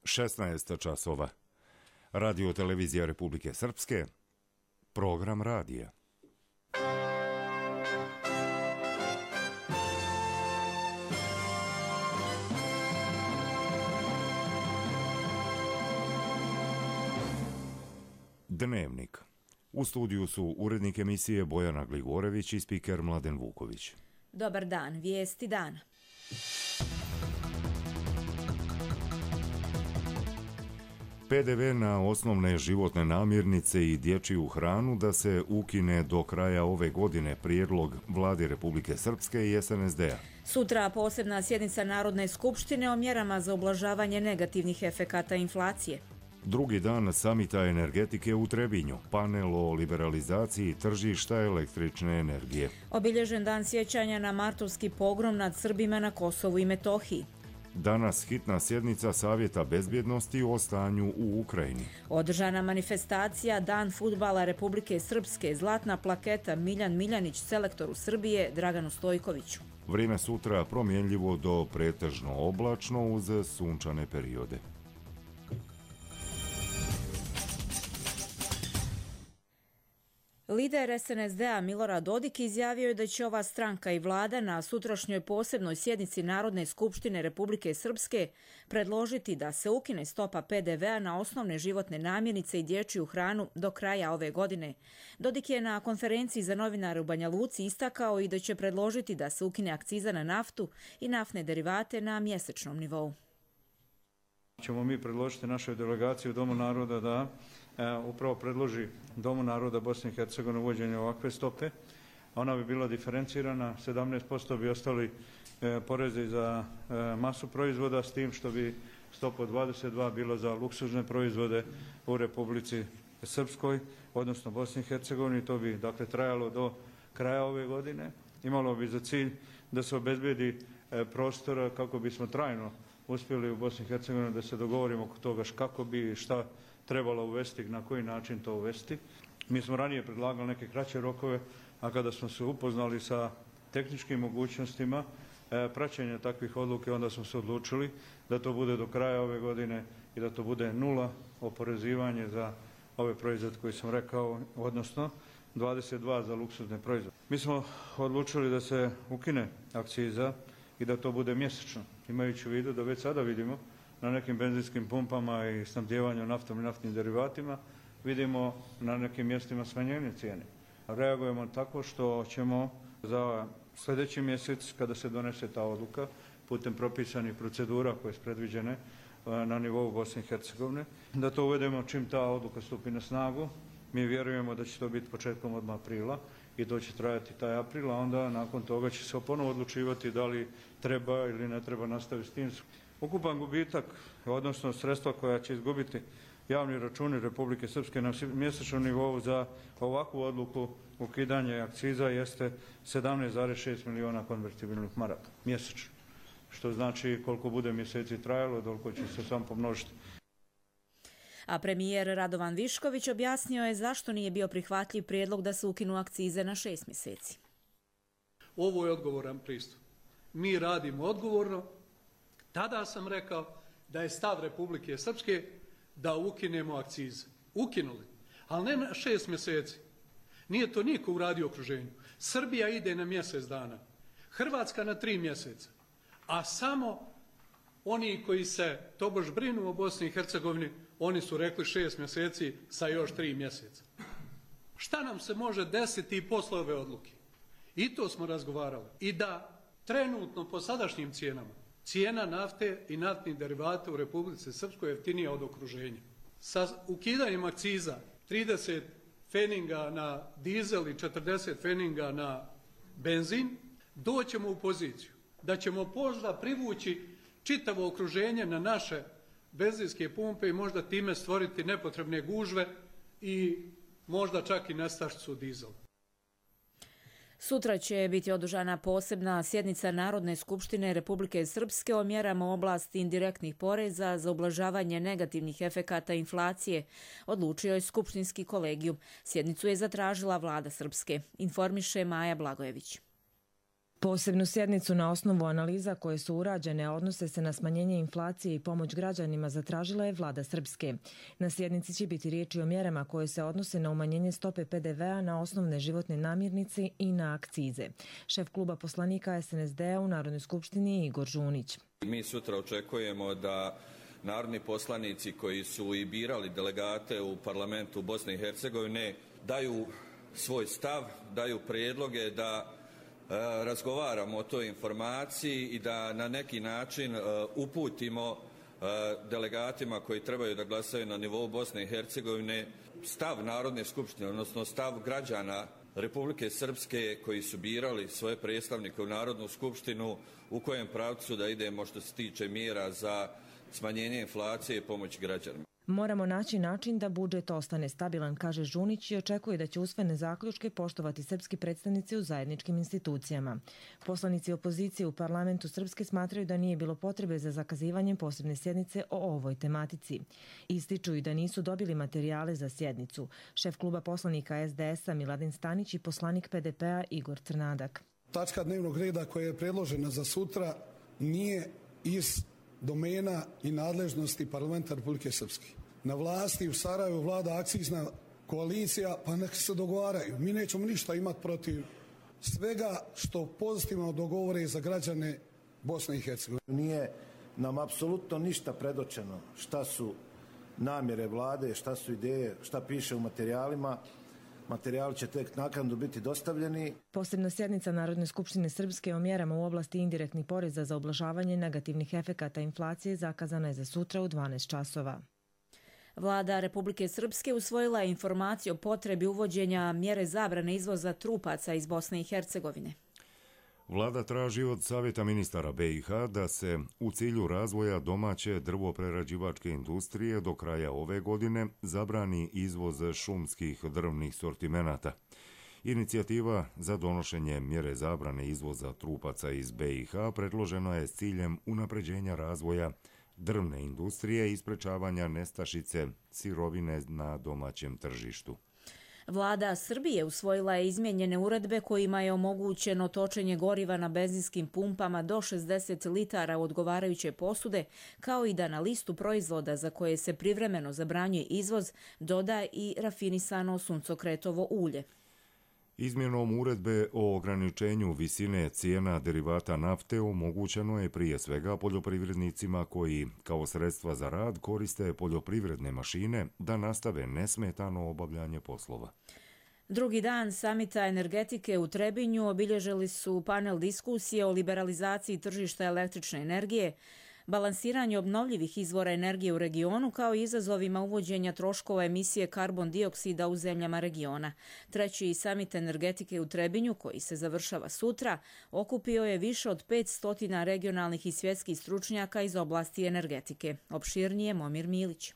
16 časova. Radio televizija Republike Srpske, program radija. Dnevnik. U studiju su urednik emisije Bojana Gligorević i spiker Mladen Vuković. Dobar dan, vijesti dana. PDV na osnovne životne namirnice i dječju hranu da se ukine do kraja ove godine, prijedlog Vlade Republike Srpske i SNSD-a. Sutra posebna sjednica Narodne skupštine o mjerama za ublažavanje negativnih efekata inflacije. Drugi dan samita energetike u Trebinju, panel o liberalizaciji tržišta električne energije. Obilježen dan sjećanja na martovski pogrom nad Srbima na Kosovu i Metohiji. Danas hitna sjednica Savjeta bezbjednosti o stanju u Ukrajini. Održana manifestacija Dan fudbala Republike Srpske, zlatna plaketa Miljan Miljanić selektoru Srbije Draganu Stojkoviću. Vrijeme sutra promjenljivo do pretežno oblačno uz sunčane periode. Lider SNSD-a Milorad Dodik izjavio je da će ova stranka i vlada na sutrašnjoj posebnoj sjednici Narodne skupštine Republike Srpske predložiti da se ukine stopa PDV-a na osnovne životne namirnice i dječju hranu do kraja ove godine. Dodik je na konferenciji za novinare u Banja Luci istakao i da će predložiti da se ukine akciza na naftu i naftne derivate na mjesečnom nivou. Ćemo mi predložiti našoj delegaciji u Domu naroda da upravo predloži Domu naroda Bosne i Hercegovine uvođenje ovakve stope. Ona bi bila diferencirana, 17% bi ostali porezi za masu proizvoda, s tim što bi stopa od 22 bilo za luksuzne proizvode u Republici Srpskoj, odnosno Bosni i Hercegovini. To bi dakle trajalo do kraja ove godine. Imalo bi za cilj da se obezbedi prostora kako bismo trajno uspjeli u Bosni i Hercegovini da se dogovorimo oko toga kako bi šta trebalo uvesti, na koji način to uvesti. Mi smo ranije predlagali neke kraće rokove, a kada smo se upoznali sa tehničkim mogućnostima praćenja takvih odluke, onda smo se odlučili da to bude do kraja ove godine i da to bude 0 oporezivanje za ove proizvode koje sam rekao, odnosno 22 za luksuzne proizvode. Mi smo odlučili da se ukine akciza i da to bude mjesečno, imajući u vidu da već sada vidimo na nekim benzinskim pumpama i snabdijevanju naftom i naftnim derivatima, vidimo na nekim mjestima smanjenje cijene. Reagujemo tako što ćemo za sljedeći mjesec, kada se donese ta odluka, putem propisanih procedura koje su predviđene na nivou Bosne i Hercegovine, da to uvedemo čim ta odluka stupi na snagu. Mi vjerujemo da će to biti početkom odmah aprila i to će trajati taj april, a onda nakon toga će se ponovo odlučivati da li treba ili ne treba nastaviti s tim. Ukupan gubitak, odnosno sredstva koja će izgubiti javni računi Republike Srpske na mjesečnom nivou za ovakvu odluku ukidanje akciza jeste 17,6 miliona konvertibilnih maraka mjesečno. Što znači koliko bude mjeseci trajalo, toliko će se sam pomnožiti. A premijer Radovan Višković objasnio je zašto nije bio prihvatljiv prijedlog da se ukinu akcize na 6 mjeseci. Ovo je odgovoran pristup. Mi radimo odgovorno. Tada sam rekao da je stav Republike Srpske da ukinemo akcize. Ukinuli, ali ne na 6 mjeseci. Nije to niko uradio u okruženju. Srbija ide na mjesec dana, Hrvatska na 3 mjeseca, a samo oni koji se tobož brinu o Bosni i Hercegovini, oni su rekli 6 mjeseci sa još 3 mjeseca. Šta nam se može desiti posle ove odluke? I to smo razgovarali. I da trenutno po sadašnjim cijenama, cijena nafte i naftnih derivata u Republici Srpskoj je jeftinija od okruženja. Sa ukidanjem akciza 30 feninga na dizel i 40 feninga na benzin, doćemo u poziciju da ćemo možda privući čitavo okruženje na naše benzinske pumpe i možda time stvoriti nepotrebne gužve i možda čak i nestašicu dizela. Sutra će biti održana posebna sjednica Narodne skupštine Republike Srpske o mjerama u oblasti indirektnih poreza za ublažavanje negativnih efekata inflacije, odlučio je skupštinski kolegijum. Sjednicu je zatražila vlada Srpske, informiše Maja Blagojević. Posebnu sjednicu na osnovu analiza koje su urađene, a odnose se na smanjenje inflacije i pomoć građanima, zatražila je vlada Srpske. Na sjednici će biti riječi o mjerama koje se odnose na umanjenje stope PDV-a na osnovne životne namirnice i na akcize. Šef kluba poslanika SNSD-a u Narodnoj skupštini je Igor Žunić. Mi sutra očekujemo da narodni poslanici koji su i birali delegate u parlamentu Bosne i Hercegovine daju svoj stav, daju prijedloge da razgovaramo o toj informaciji i da na neki način uputimo delegatima koji trebaju da glasaju na nivou Bosne i Hercegovine stav Narodne skupštine, odnosno stav građana Republike Srpske koji su birali svoje predstavnike u Narodnu skupštinu, u kojem pravcu da idemo što se tiče mjera za smanjenje inflacije i pomoć građanima. Moramo naći način da budžet ostane stabilan, kaže Žunić, i očekuje da će usvojene zaključke poštovati srpski predstavnici u zajedničkim institucijama. Poslanici opozicije u parlamentu Srpske smatraju da nije bilo potrebe za zakazivanjem posebne sjednice o ovoj tematici. Ističu i da nisu dobili materijale za sjednicu. Šef kluba poslanika SDS-a Miladin Stanić i poslanik PDP-a Igor Crnadak. Tačka dnevnog reda koja je predložena za sutra nije iz domena i nadležnosti parlamenta Republike Srpske. Na vlasti u Sarajevu vlada akcizna koalicija, pa nek se dogovaraju. Mi nećemo ništa imati protiv svega što pozitivno dogovore za građane Bosne i Hercegovine. Nije nam apsolutno ništa predočeno šta su namjere vlade, šta su ideje, šta piše u materijalima. Materijali će tek naknadno biti dostavljeni. Posebna sjednica Narodne skupštine Srpske o mjerama u oblasti indirektnih poreza za ublažavanje negativnih efekata inflacije zakazana je za sutra u 12 časova. Vlada Republike Srpske usvojila je informaciju o potrebi uvođenja mjere zabrane izvoza trupaca iz Bosne i Hercegovine. Vlada traži od Savjeta ministara BiH da se u cilju razvoja domaće drvoprerađivačke industrije do kraja ove godine zabrani izvoz šumskih drvnih sortimenata. Inicijativa za donošenje mjere zabrane izvoza trupaca iz BiH predložena je s ciljem unapređenja razvoja drvne industrije i sprečavanja nestašice sirovine na domaćem tržištu. Vlada Srbije usvojila je izmijenjene uredbe kojima je omogućeno točenje goriva na benzinskim pumpama do 60 litara u odgovarajuće posude, kao i da na listu proizvoda za koje se privremeno zabranjuje izvoz doda i rafinisano suncokretovo ulje. Izmjenom uredbe o ograničenju visine cijena derivata nafte omogućeno je prije svega poljoprivrednicima koji kao sredstva za rad koriste poljoprivredne mašine da nastave nesmetano obavljanje poslova. Drugi dan samita energetike u Trebinju obilježili su panel diskusije o liberalizaciji tržišta električne energije, balansiranju obnovljivih izvora energije u regionu kao i izazovima uvođenja troškova emisije karbon dioksida u zemljama regiona. Treći samit energetike u Trebinju, koji se završava sutra, okupio je više od 500 regionalnih i svjetskih stručnjaka iz oblasti energetike. Opširnije Momir Milić.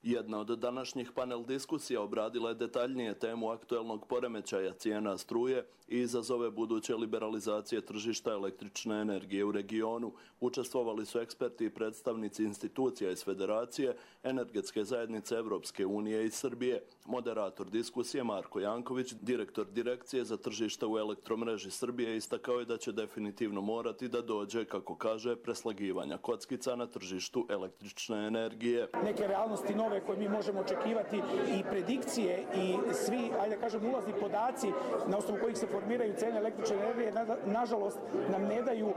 Jedna od današnjih panel diskusija obradila je detaljnije temu aktuelnog poremećaja cijena struje i izazove buduće liberalizacije tržišta električne energije u regionu. Učestvovali su eksperti i predstavnici institucija iz Federacije, Energetske zajednice Evropske unije i Srbije. Moderator diskusije Marko Janković, direktor Direkcije za tržište u elektromreži Srbije, istakao je da će definitivno morati da dođe, kako kaže, preslagivanja kockica na tržištu električne energije. Neke realnosti nove koje mi možemo očekivati i predikcije i svi, ajde da kažem, ulazni podaci na osnovu kojih se formiraju cene električne energije, nažalost nam ne daju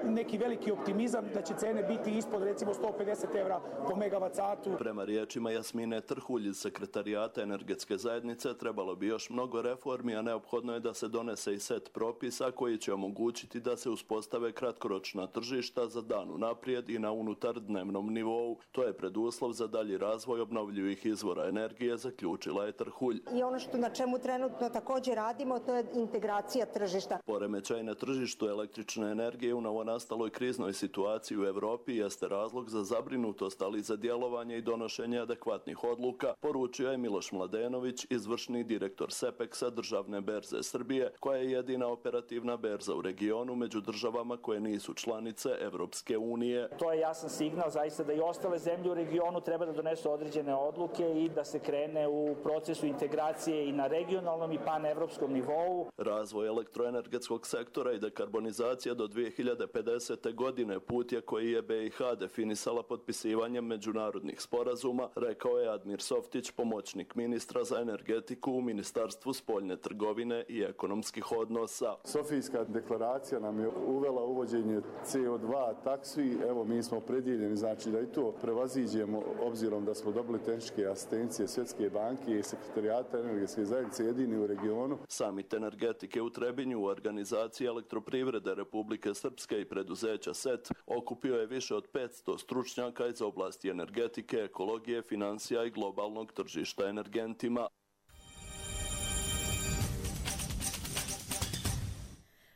neki veliki optimizam da će cene biti ispod recimo 150 € po megavat satu. Prema riječima Jasmine Trhulj iz Sekretarijata Energetske zajednice trebalo bi još mnogo reformi, a neophodno je da se donese i set propisa koji će omogućiti da se uspostave kratkoročna tržišta za dan unaprijed i na unutar dnevnom nivou. To je preduslov za dalji razvoj obnovljivih izvora energije, zaključila je Trhulj. I ono što na čemu trenutno također radimo, to je integracija tržišta. Poremećaj na tržištu električne energije u novonastaloj kriznoj situaciji u Evropi jeste razlog za zabrinutost, ali i za djelovanje i donošenje adekvatnih odluka, poručio je Miloš Mladenović, izvršni direktor SEPEX-a Državne berze Srbije, koja je jedina operativna berza u regionu među državama koje nisu članice Evropske unije. To je jasan signal zaista da i ostale zemlje u regionu treba da donesu određene određene odluke i da se krene u procesu integracije i na regionalnom i panevropskom nivou. Razvoj elektroenergetskog sektora i dekarbonizacija do 2050. godine put je koji je BiH definisala potpisivanjem međunarodnih sporazuma, rekao je Admir Softić, pomoćnik ministra za energetiku u Ministarstvu spoljne trgovine i ekonomskih odnosa. Sofijska deklaracija nam je uvela uvođenje CO2 taksi. Evo, mi smo predijeljeni, znači da i to prevaziđemo, obzirom da smo dobili tehničke asistencije Svjetske banke i Sekretarijata energetske zajednice jedini u regionu. Samit energetike u Trebinju u organizaciji Elektroprivrede Republike Srpske i preduzeća SET okupio je više od 500 stručnjaka iz oblasti energetike, ekologije, financija i globalnog tržišta energentima.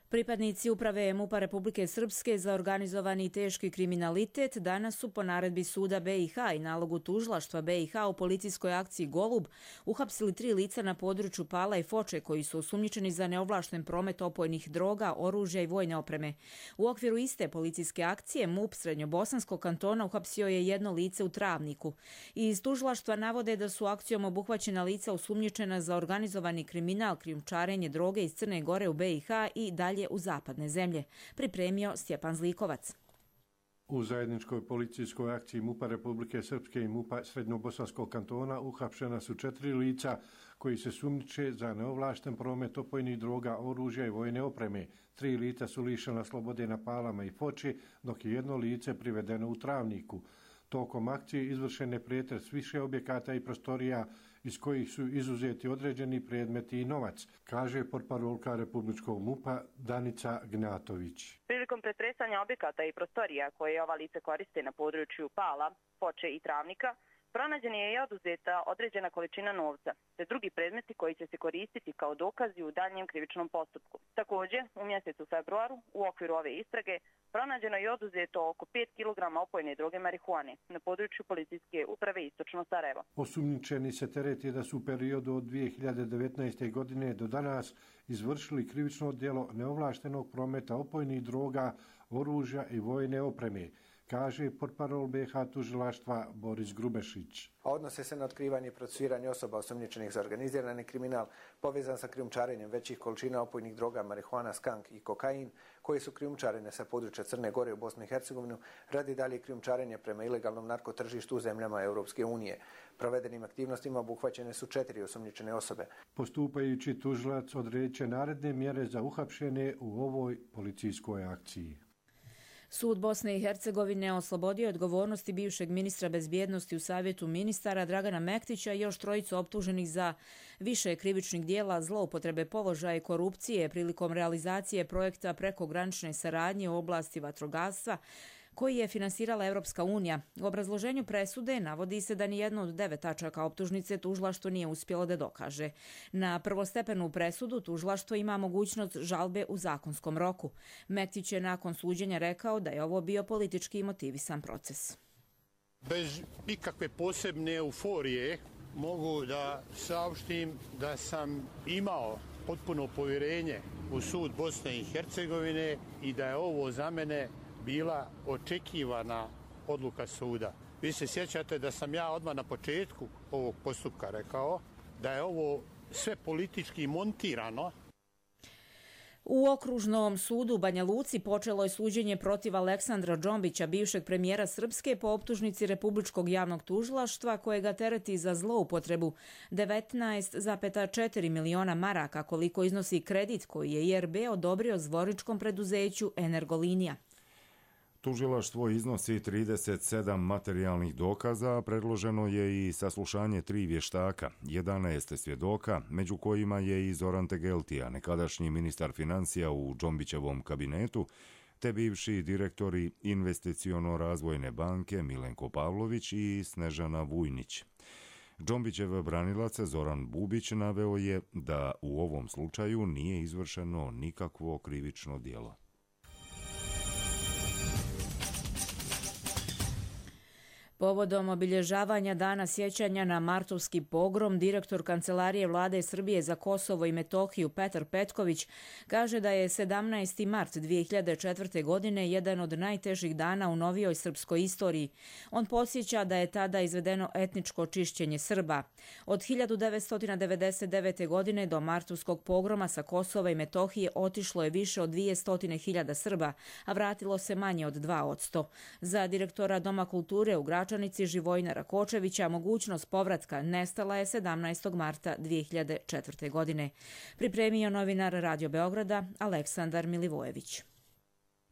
Pripadnici uprave MUP-a Republike Srpske za organizovani i teški kriminalitet danas su po naredbi suda BiH i nalogu tužilaštva BiH u policijskoj akciji Golub uhapsili 3 lica na području Pala i Foče koji su osumnjičeni za neovlašten promet opojnih droga, oružja i vojne opreme. U okviru iste policijske akcije MUP Srednjobosanskog kantona uhapsio je jedno lice u Travniku. Iz tužilaštva navode da su akcijom obuhvaćena lica osumnjičena za organizovani kriminal, krijumčarenje droge iz Crne Gore u BiH i dalje u zapadne zemlje. Pripremio Stjepan Zlikovac. U zajedničkoj policijskoj akciji MUP-a Republike Srpske i MUP-a Srednjobosanskog kantona uhapšena su 4 lica koji se sumnjiče za neovlašten promet opojnih droga, oružja i vojne opreme. 3 lica su lišena slobode na Palama i Foči, dok je jedno lice privedeno u Travniku. Tokom akcije izvršen je pretres više objekata i prostorija iz kojih su izuzeti određeni predmeti i novac, kaže portparolka Republičkog MUP-a Danica Gnjatović. Prilikom pretresanja objekata i prostorija koje ova lice koriste na području Pala, Foče i Travnika, pronađena je i oduzeta određena količina novca, te drugi predmeti koji će se koristiti kao dokazi u daljem krivičnom postupku. Također, u mjesecu februaru, u okviru ove istrage, pronađeno je oduzeto oko 5 kg opojne droge marihuane na području policijske uprave Istočno Sarajevo. Osumnjičeni se tereti da su u periodu od 2019. godine do danas izvršili krivično djelo neovlaštenog prometa opojnih droga, oružja i vojne opreme, kaže portparol BiH tužilaštva Boris Grubešić. A odnose se na otkrivanje i procesuiranje osoba osumnjičenih za organizirani kriminal povezan sa krijumčarenjem većih količina opojnih droga, marihuana, skank i kokain, koje su krijumčarene sa područja Crne Gore u Bosnu i Hercegovinu radi dalje krijumčarenje prema ilegalnom narkotržištu u zemljama Europske unije. Provedenim aktivnostima obuhvaćene su 4 osumnjičene osobe. Postupajući tužilac odreće naredne mjere za uhapšene u ovoj policijskoj akciji. Sud Bosne i Hercegovine oslobodio odgovornosti bivšeg ministra bezbjednosti u Savjetu ministara Dragana Mektića i još 3 optuženih za više krivičnih dijela zloupotrebe položaja i korupcije prilikom realizacije projekta prekogranične saradnje u oblasti vatrogastva koji je finansirala Europska unija. U obrazloženju presude navodi se da nijedno od 9 tačaka optužnice tužilaštvo nije uspjelo da dokaže. Na prvostepenu presudu tužilaštvo ima mogućnost žalbe u zakonskom roku. Mektić je nakon suđenja rekao da je ovo bio politički motivisan proces. Bez ikakve posebne euforije mogu da saopštim da sam imao potpuno povjerenje u sud Bosne i Hercegovine i da je ovo za mene bila očekivana odluka suda. Vi se sjećate da sam ja odmah na početku ovog postupka rekao da je ovo sve politički montirano. U Okružnom sudu u Banja Luci počelo je suđenje protiv Aleksandra Džombića, bivšeg premijera Srpske, po optužnici Republičkog javnog tužilaštva koje ga tereti za zloupotrebu 19,4 miliona maraka, koliko iznosi kredit koji je IRB odobrio zvorničkom preduzeću Energolinija. Tužilaštvo iznosi 37 materijalnih dokaza, a predloženo je i saslušanje 3 vještaka, 11 svjedoka, među kojima je i Zoran Tegeltija, nekadašnji ministar financija u Džombićevom kabinetu, te bivši direktori Investiciono-razvojne banke Milenko Pavlović i Snežana Vujnić. Džombićev branilac Zoran Bubić naveo je da u ovom slučaju nije izvršeno nikakvo krivično djelo. Povodom obilježavanja Dana sjećanja na martovski pogrom, direktor Kancelarije Vlade Srbije za Kosovo i Metohiju Petar Petković kaže da je 17. mart 2004. godine jedan od najtežih dana u novijoj srpskoj istoriji. On podsjeća da je tada izvedeno etničko čišćenje Srba. Od 1999. godine do martovskog pogroma sa Kosova i Metohije otišlo je više od 200.000 Srba, a vratilo se manje od 2%. Za direktora Doma kulture u Gračanici Živojina Rakočevića mogućnost povratka nestala je 17. marta 2004. godine. Pripremio novinar Radio Beograda Aleksandar Milivojević.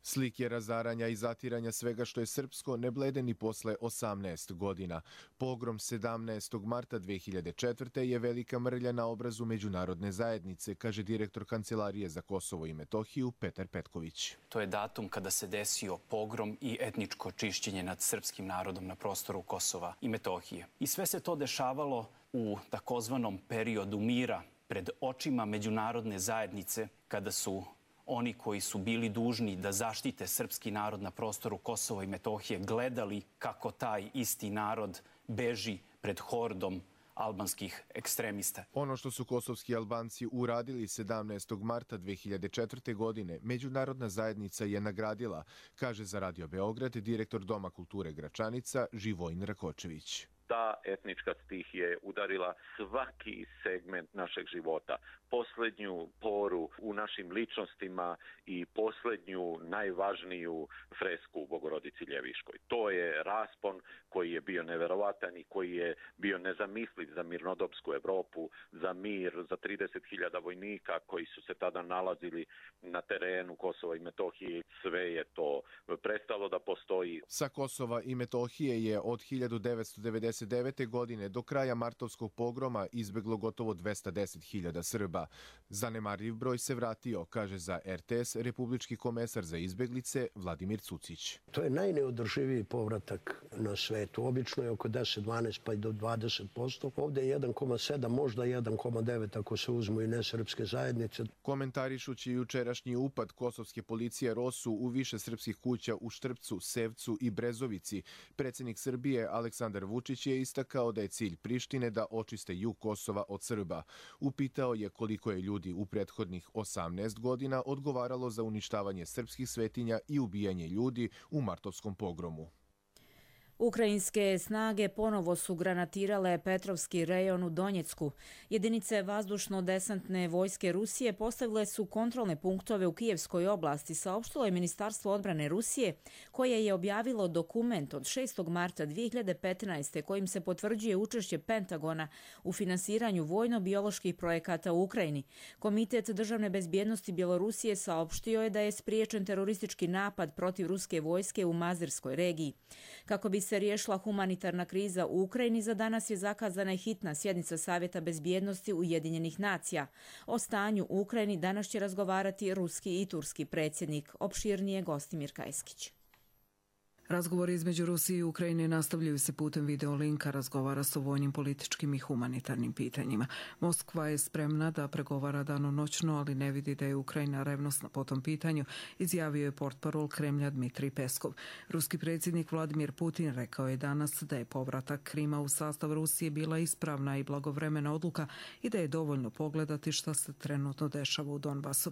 Slike razaranja i zatiranja svega što je srpsko ne blede ni posle 18 godina. Pogrom 17. marta 2004. je velika mrlja na obrazu međunarodne zajednice, kaže direktor Kancelarije za Kosovo i Metohiju Petar Petković. To je datum kada se desio pogrom i etničko čišćenje nad srpskim narodom na prostoru Kosova i Metohije. I sve se to dešavalo u takozvanom periodu mira pred očima međunarodne zajednice, kada su oni koji su bili dužni da zaštite srpski narod na prostoru Kosova i Metohije gledali kako taj isti narod beži pred hordom albanskih ekstremista. Ono što su kosovski Albanci uradili 17. marta 2004. godine, međunarodna zajednica je nagradila, kaže za Radio Beograd direktor Doma kulture Gračanica Živojin Rakočević. Ta etnička stihija je udarila svaki segment našeg života. Poslednju poru u našim ličnostima i poslednju najvažniju fresku u Bogorodici Ljeviškoj. To je raspon koji je bio neverovatan i koji je bio nezamisliv za mirnodopsku Evropu, za mir, za 30.000 vojnika koji su se tada nalazili na terenu Kosova i Metohije. Sve je to prestalo da postoji. Sa Kosova i Metohije je od 1999. godine do kraja martovskog pogroma izbeglo gotovo 210.000 Srba. Zanemarljiv broj se vratio, kaže za RTS republički komesar za izbeglice Vladimir Cucić. To je najneodrživiji povratak na svetu. Obično je oko 10, 12 pa i do 20%. Ovde je 1,7, možda 1,9 ako se uzmu i nesrpske zajednice. Komentarišući jučerašnji upad kosovske policije ROSU u više srpskih kuća u Štrpcu, Sevcu i Brezovici, predsjednik Srbije Aleksandar Vučić je istakao da je cilj Prištine da očiste jug Kosova od Srba. Upitao je koliko je ljudi u prethodnih 18 godina odgovaralo za uništavanje srpskih svetinja i ubijanje ljudi u martovskom pogromu. Ukrajinske snage ponovo su granatirale Petrovski rejon u Donjecku. Jedinice vazdušno-desantne vojske Rusije postavile su kontrolne punktove u Kijevskoj oblasti, saopštilo je Ministarstvo odbrane Rusije, koje je objavilo dokument od 6. marta 2015. kojim se potvrđuje učešće Pentagona u finansiranju vojno-bioloških projekata u Ukrajini. Komitet državne bezbjednosti Bjelorusije saopštio je da je spriječen teroristički napad protiv ruske vojske u Mazirskoj regiji. Kako bi se riješila humanitarna kriza u Ukrajini, za danas je zakazana hitna sjednica Savjeta bezbjednosti Ujedinjenih nacija. O stanju u Ukrajini danas će razgovarati ruski i turski predsjednik. Opširnije Gostimir Kajskić. Razgovori između Rusije i Ukrajine nastavljaju se putem videolinka, razgovara se o vojnim, političkim i humanitarnim pitanjima. Moskva je spremna da pregovara danonoćno, ali ne vidi da je Ukrajina revnosna po tom pitanju, izjavio je portparol Kremlja Dmitrij Peskov. Ruski predsjednik Vladimir Putin rekao je danas da je povratak Krima u sastav Rusije bila ispravna i blagovremena odluka i da je dovoljno pogledati šta se trenutno dešava u Donbasu.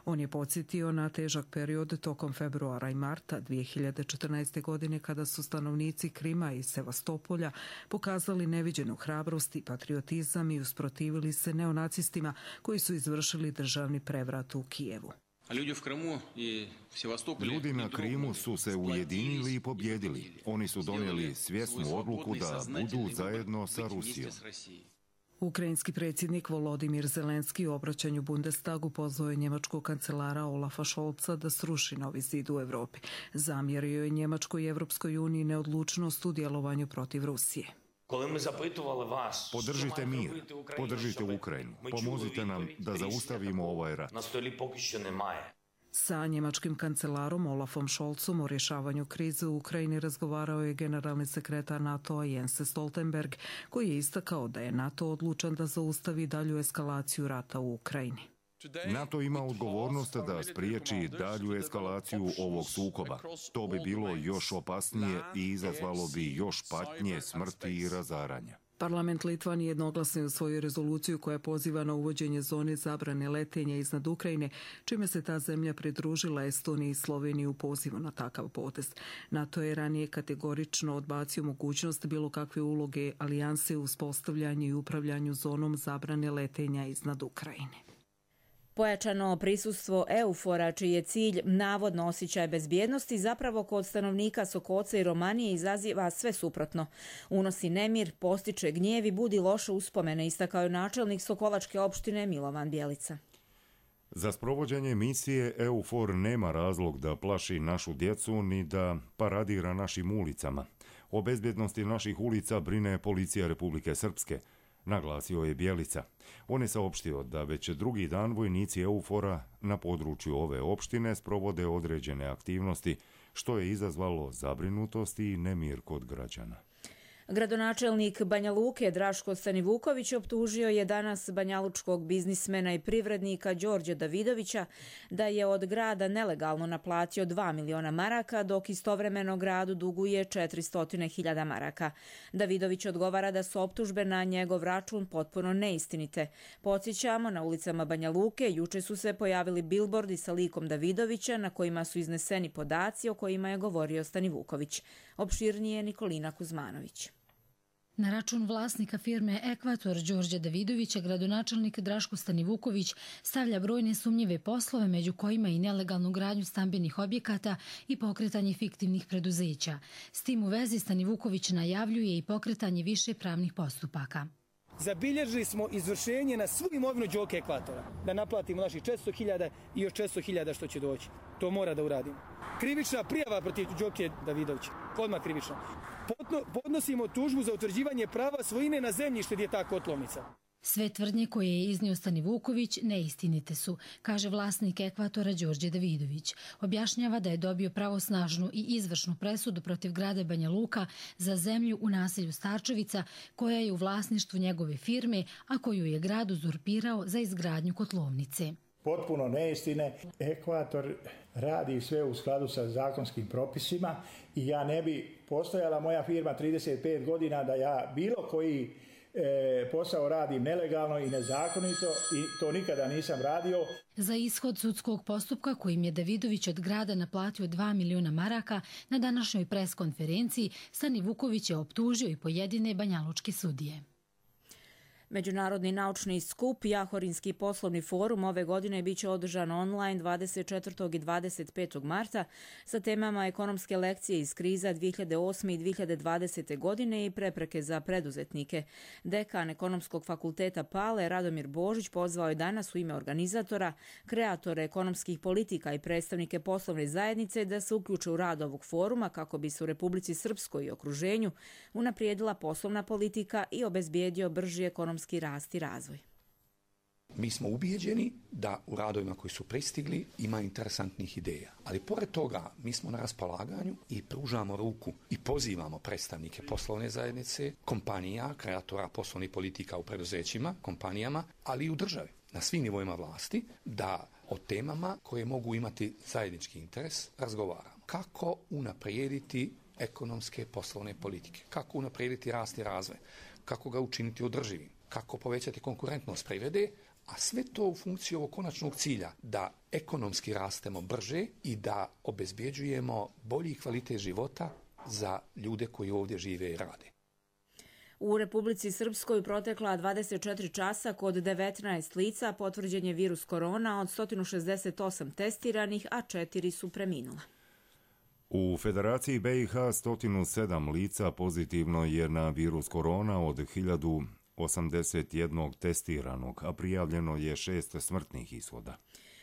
On je podsjetio na težak period tokom februara i marta 2014. godine kada su stanovnici Krima i Sevastopolja pokazali neviđenu hrabrost i patriotizam i usprotivili se neonacistima koji su izvršili državni prevrat u Kijevu. Ljudi na Krimu su se ujedinili i pobjedili. Oni su donijeli svjesnu odluku da budu zajedno sa Rusijom. Ukrajinski predsjednik Volodimir Zelenski u obraćanju Bundestagu pozvao je njemačkog kancelara Olafa Scholza da sruši novi zid u Evropi. Zamjerio je Njemačkoj i Evropskoj uniji neodlučnost u djelovanju protiv Rusije. Podržite mir, podržite Ukrajinu, pomozite nam da zaustavimo ovaj rat. Sa njemačkim kancelarom Olafom Scholzom o rješavanju krize u Ukrajini razgovarao je generalni sekretar NATO-a Jens Stoltenberg, koji je istakao da je NATO odlučan da zaustavi dalju eskalaciju rata u Ukrajini. NATO ima odgovornost da spriječi dalju eskalaciju ovog sukoba. To bi bilo još opasnije i izazvalo bi još patnje, smrti i razaranja. Parlament Litvanije jednoglasno je usvojio rezoluciju koja poziva na uvođenje zone zabrane letenja iznad Ukrajine, čime se ta zemlja pridružila Estoniji i Sloveniji u pozivu na takav potez. NATO je ranije kategorično odbacio mogućnost bilo kakve uloge alijanse u uspostavljanju i upravljanju zonom zabrane letenja iznad Ukrajine. Pojačano prisustvo EUFOR-a, čiji je cilj navodno osjećaj bezbjednosti, zapravo kod stanovnika Sokoca i Romanije izaziva sve suprotno. Unosi nemir, postiče gnjev i budi loše uspomene, istakao je načelnik Sokolačke opštine Milovan Bjelica. Za sprovođenje misije EUFOR nema razlog da plaši našu djecu ni da paradira našim ulicama. O bezbjednosti naših ulica brine policija Republike Srpske, naglasio je Bjelica. On je saopštio da već drugi dan vojnici EUFOR-a na području ove opštine sprovode određene aktivnosti, što je izazvalo zabrinutost i nemir kod građana. Gradonačelnik Banja Luke Draško Stanivuković optužio je danas banjalučkog biznismena i privrednika Đorđa Davidovića da je od grada nelegalno naplatio 2 miliona maraka, dok istovremeno gradu duguje 400.000 maraka. Davidović odgovara da su optužbe na njegov račun potpuno neistinite. Podsjećamo, na ulicama Banja Luke juče su se pojavili bilbordi sa likom Davidovića na kojima su izneseni podaci o kojima je govorio Stanivuković. Opširnije Nikolina Kuzmanović. Na račun vlasnika firme Ekvator Đorđa Davidovića gradonačelnik Draško Stanivuković stavlja brojne sumnjive poslove, među kojima i nelegalnu gradnju stambenih objekata i pokretanje fiktivnih preduzeća. S tim u vezi Stanivuković najavljuje i pokretanje više pravnih postupaka. Zabilježili smo izvršenje na svu imovinu Đoke Ekvatora, da naplatimo naših 400.000 i još 400.000 što će doći. To mora da uradimo. Krivična prijava protiv Đoke Davidovića, odmah krivična. Podnosimo tužbu za utvrđivanje prava svojine na zemljište gdje je ta kotlovnica. Sve tvrdnje koje je iznio Stanivuković neistinite su, kaže vlasnik Ekvatora Đorđe Davidović. Objašnjava da je dobio pravosnažnu i izvršnu presudu protiv grada Banja Luka za zemlju u naselju Starčevica, koja je u vlasništvu njegove firme, a koju je grad uzurpirao za izgradnju kotlovnice. Potpuno neistine. Ekvator radi sve u skladu sa zakonskim propisima i ja ne bi postojala moja firma 35 godina da ja bilo koji posao radim nelegalno i nezakonito i to nikada nisam radio. Za ishod sudskog postupka kojim je Davidović od grada naplatio 2 miliona maraka, na današnjoj pres konferenciji Stanivuković je optužio i pojedine banjalučke sudije. Međunarodni naučni skup Jahorinski poslovni forum ove godine biće održan online 24. i 25. marta sa temama ekonomske lekcije iz kriza 2008. i 2020. godine i prepreke za preduzetnike. Dekan Ekonomskog fakulteta Pale Radomir Božić pozvao je danas u ime organizatora, kreatore ekonomskih politika i predstavnike poslovne zajednice da se uključe u rad ovog foruma kako bi se u Republici Srpskoj i okruženju unaprijedila poslovna politika i obezbijedio brži ekonomski rast i razvoj. Mi smo ubijeđeni da u radovima koji su pristigli ima interesantnih ideja. Ali pored toga mi smo na raspolaganju i pružamo ruku i pozivamo predstavnike poslovne zajednice, kompanija, kreatora poslovnih politika u preduzećima, kompanijama, ali i u državi, na svim nivoima vlasti, da o temama koje mogu imati zajednički interes razgovaramo. Kako unaprijediti ekonomske poslovne politike? Kako unaprijediti rast i razvoj? Kako ga učiniti održivim? Kako povećati konkurentnost privrede, a sve to u funkciji ovog konačnog cilja da ekonomski rastemo brže i da obezbjeđujemo bolji kvalitet života za ljude koji ovdje žive i rade. U Republici Srpskoj protekla 24 časa kod 19 lica potvrđen je virus korona, od 168 testiranih, a 4 su preminula. U Federaciji BiH 107 lica pozitivno je na virus korona od 1081 testiranog, a prijavljeno je 6 smrtnih ishoda.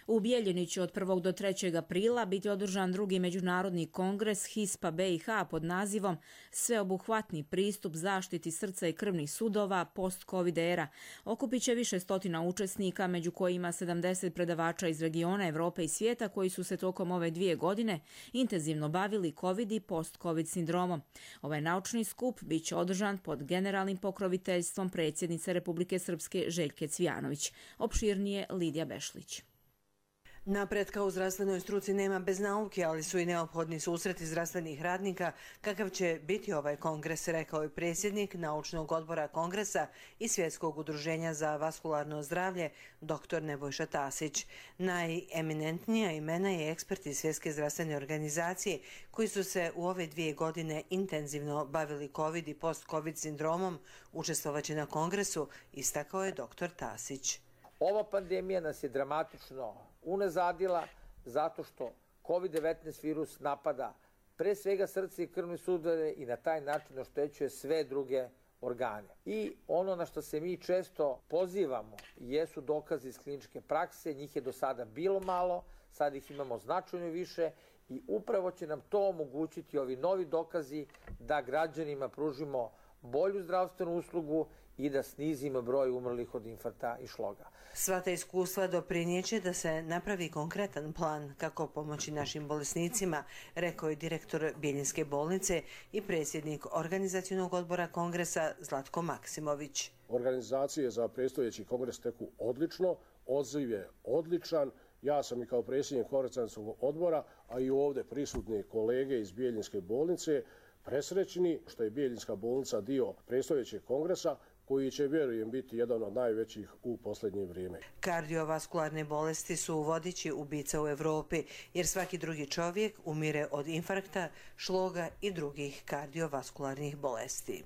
U Bjeljiniću od 1. do 3. aprila biti održan drugi međunarodni kongres HISPA BiH pod nazivom Sveobuhvatni pristup zaštiti srca i krvnih sudova post-Covid era. Okupit će više stotina učesnika, među kojima 70 predavača iz regiona, Evrope i svijeta koji su se tokom ove 2 godine intenzivno bavili Covid i post-Covid sindromom. Ovaj naučni skup bit će održan pod generalnim pokroviteljstvom predsjednice Republike Srpske Željke Cvijanović. Opširnije Lidija Bešlić. Napretka u zdravstvenoj struci nema bez nauke, ali su i neophodni susreti zdravstvenih radnika, kakav će biti ovaj kongres, rekao je predsjednik Naučnog odbora kongresa i Svjetskog udruženja za vaskularno zdravlje, dr. Nebojša Tasić. Najeminentnija imena je eksperti Svjetske zdravstvene organizacije koji su se u ove 2 godine intenzivno bavili COVID i post-COVID sindromom. Učestvovaće na kongresu, istakao je dr. Tasić. Ova pandemija nas je dramatično unazadila zato što COVID-19 virus napada pre svega srce i krvne sudove i na taj način oštećuje sve druge organe. I ono na što se mi često pozivamo jesu dokazi iz kliničke prakse, njih je do sada bilo malo, sad ih imamo značajno više i upravo će nam to omogućiti ovi novi dokazi da građanima pružimo bolju zdravstvenu uslugu i da snizimo broj umrlih od infarkta i šloga. Sva ta iskustva doprinijeće da se napravi konkretan plan kako pomoći našim bolesnicima, rekao je direktor Bjeljinske bolnice i predsjednik organizacionog odbora kongresa Zlatko Maksimović. Organizacije za predstojeći kongres teku odlično, odziv je odličan. Ja sam i kao predsjednik organizacionog odbora, a i ovdje prisutni kolege iz Bjeljinske bolnice, presrećni što je Bjeljinska bolnica dio predstojećeg kongresa, koji će, vjerujem, biti jedan od najvećih u posljednje vrijeme. Kardiovaskularne bolesti su vodeći ubica u Evropi, jer svaki drugi čovjek umire od infarkta, šloga i drugih kardiovaskularnih bolesti.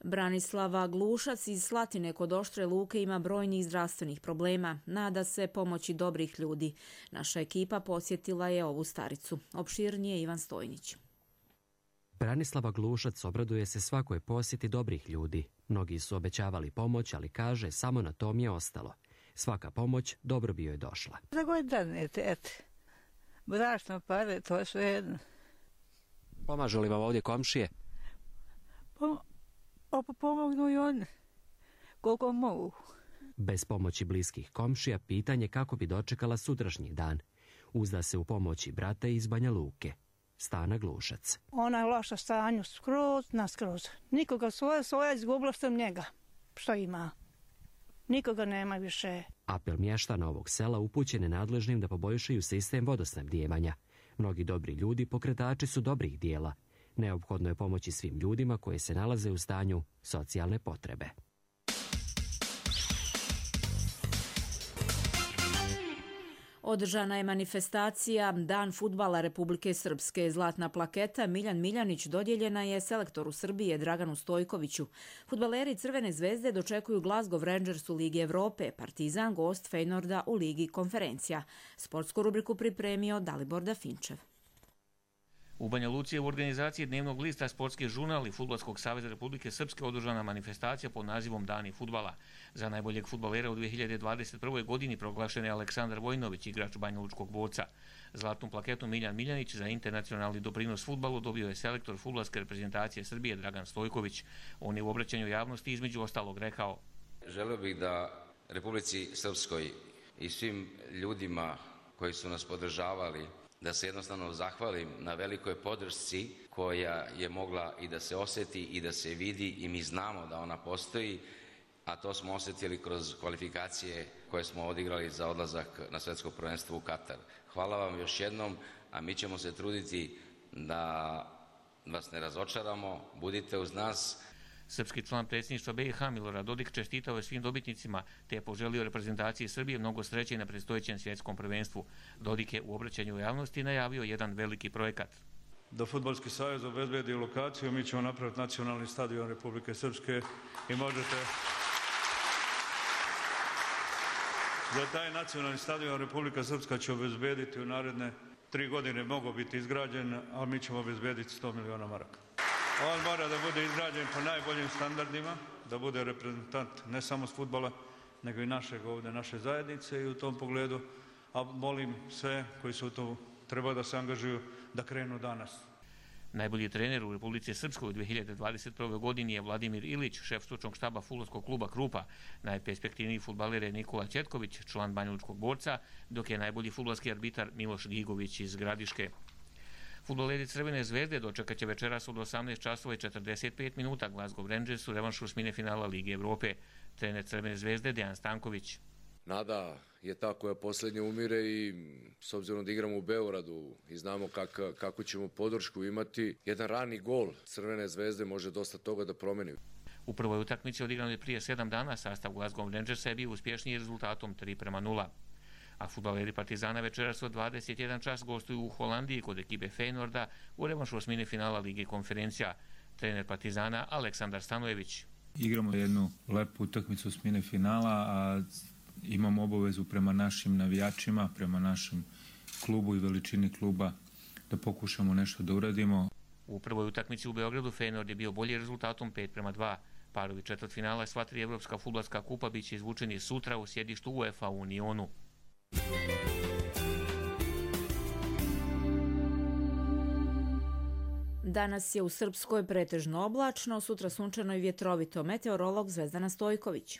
Branislava Glušac iz Slatine kod Oštre Luke ima brojnih zdravstvenih problema. Nada se pomoći dobrih ljudi. Naša ekipa posjetila je ovu staricu. Opširnije Ivan Stojnić. Branislava Glušac obraduje se svakoj posjeti dobrih ljudi. Mnogi su obećavali pomoć, ali kaže samo na tom je ostalo. Svaka pomoć dobro bi joj došla. Za koje danete, eto. Brašno, pare, to je sve jedno. Pomažu li vam ovdje komšije? Pomognu i oni, koliko mogu. Bez pomoći bliskih komšija pitanje kako bi dočekala sutrašnji dan. Uzda se u pomoći brata iz Banja Luke, Stana Glušac. Ona je loša stanju, skroz. Nikoga svoja izgubila sam njega, što ima. Nikoga nema više. Apel mještana ovog sela upućen je nadležnim da poboljšaju sistem vodosnabdijevanja. Mnogi dobri ljudi pokretači su dobrih dijela. Neophodno je pomoći svim ljudima koji se nalaze u stanju socijalne potrebe. Održana je manifestacija Dan fudbala Republike Srpske. Zlatna plaketa Miljan Miljanić dodijeljena je selektoru Srbije Draganu Stojkoviću. Fudbaleri Crvene zvezde dočekuju Glasgow Rangers u Ligi Evrope, Partizan gost Feynorda u Ligi konferencija. Sportsku rubriku pripremio Dalibor Dafinčev. U Banja Luci je u organizaciji dnevnog lista Sportski žurnal i Fudbalskog saveza Republike Srpske održana manifestacija pod nazivom Dani fudbala. Za najboljeg fudbalera u 2021. godini proglašen je Aleksandar Vojnović, igrač Banja Lučkog Boca. Zlatnu plaketu Miljan Miljanić za internacionalni doprinos fudbalu dobio je selektor fudbalske reprezentacije Srbije Dragan Stojković. On je u obraćanju javnosti između ostalog rekao: Želeo bih da Republici Srpskoj i svim ljudima koji su nas podržavali da se jednostavno zahvalim na velikoj podršci koja je mogla i da se osjeti i da se vidi i mi znamo da ona postoji, a to smo osjetili kroz kvalifikacije koje smo odigrali za odlazak na svjetsko prvenstvo u Katar. Hvala vam još jednom, a mi ćemo se truditi da vas ne razočaramo, budite uz nas. Srpski član predsjedništva BiH Milorad Dodik čestitao je svim dobitnicima te je poželio reprezentaciji Srbije mnogo sreće na predstojećem svjetskom prvenstvu. Dodik je u obraćanju javnosti najavio jedan veliki projekat. Da Fudbalski savez obezbedi lokaciju, mi ćemo napraviti nacionalni stadion Republike Srpske i možete... Za taj nacionalni stadion Republika Srpska će obezbediti u naredne 3 godine, mogo biti izgrađen, ali mi ćemo obezbediti 100 miliona maraka. On mora da bude izgrađen po najboljim standardima, da bude reprezentant ne samo s fudbala, nego i našeg ovdje, naše zajednice i u tom pogledu a molim sve koji su to treba da se angažuju da krenu danas. Najbolji trener u Republici Srpskoj u 2021. godini je Vladimir Ilić, šef stručnog štaba fudbalskog kluba Krupa. Najperspektivniji fudbaler je Nikola Ćetković, član Banjalučkog borca, dok je najbolji fudbalski arbitar Miloš Gigović iz Gradiške. Fudbaleri Crvene zvezde dočekat će večeras od 18 časova i 45 minuta Glasgow Rangers u revanšu osmine finala Lige Evrope. Trener Crvene zvezde Dejan Stanković. Nada je ta koja posljednje umire i s obzirom da igramo u Beogradu i znamo kako ćemo podršku imati, jedan rani gol Crvene zvezde može dosta toga da promeni. U prvoj utakmici odigrano je prije 7 dana sastav Glasgow Rangersa je bio uspješniji rezultatom 3:0. A fudbaleri Partizana večeras od 21 čas gostuju u Holandiji kod ekipe Feynorda u revanšu osmine finala Lige konferencija. Trener Partizana Aleksandar Stanojević. Igramo jednu lepu utakmicu osmine finala, a imamo obavezu prema našim navijačima, prema našem klubu i veličini kluba da pokušamo nešto da uradimo. U prvoj utakmici u Beogradu Feyenoord je bio bolji rezultatom 5:2. Parovi četvrtfinala sva tri evropska fudbalska kupa biće izvučeni sutra u sjedištu UEFA u Unionu. Danas je u Srpskoj pretežno oblačno, sutra sunčano i vjetrovito. Meteorolog Zvezdana Stojković.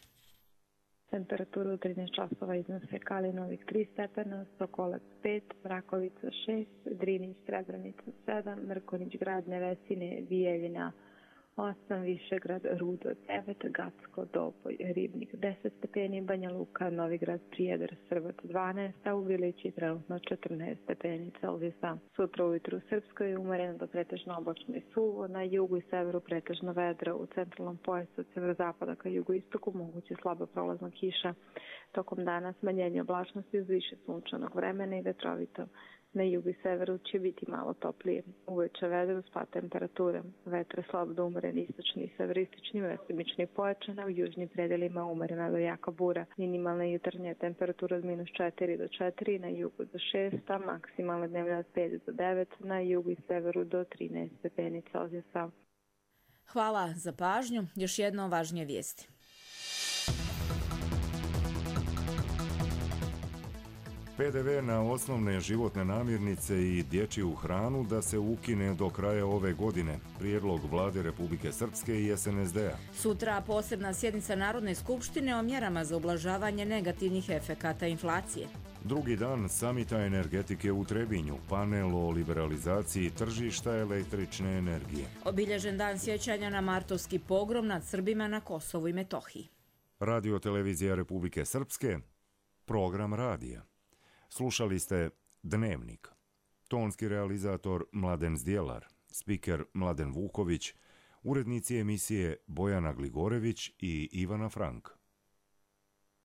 Temperaturu u 13 časova iznose Kalinovik 3 stepena, Sokolac 5, Mrakovica 6, Drinić, Srebrenica 7, Mrkonjić, Grad Nevesine, Bijeljina 8, Višegrad, Rudo 9, Gacko, Doboj, Ribnik 10 stepeni, Banja Luka, Novigrad, Prijedor, Srbac 12, a u Vilići trenutno 14 stepeni Celzijusa. Sutra ujutru u Srpskoj umereno do pretežno oblačno i suvo, na jugu i severu pretežno vedro, u centralnom pojasu od severozapada ka jugoistoku moguće slaba prolazna kiša. Tokom dana smanjenje oblačnosti uz više sunčanog vremena i vetrovito. Na jugu i severu će biti malo toplije. Uveče vedro, spad temperature. Vetre slab do umeren istočni i severistični, mestimični pojačana, u južnim predelima umerena do jaka bura. Minimalna jutarnja temperatura od -4 do 4, na jugu do 6, a maksimalna dnevna od 5 do 9, na jugu i severu do 13 stepeni Celzijusa. Hvala za pažnju. Još jedno važnije vijesti. PDV na osnovne životne namirnice i dječju hranu da se ukine do kraja ove godine. Prijedlog Vlade Republike Srpske i SNSD-a. Sutra posebna sjednica Narodne skupštine o mjerama za ublažavanje negativnih efekata inflacije. Drugi dan samita energetike u Trebinju, panel o liberalizaciji tržišta električne energije. Obilježen dan sjećanja na martovski pogrom nad Srbima na Kosovu i Metohiji. Radio televizija Republike Srpske, program radija. Slušali ste Dnevnik. Tonski realizator Mladen Zdjelar, spiker Mladen Vuković, urednici emisije Bojana Gligorević i Ivana Frank.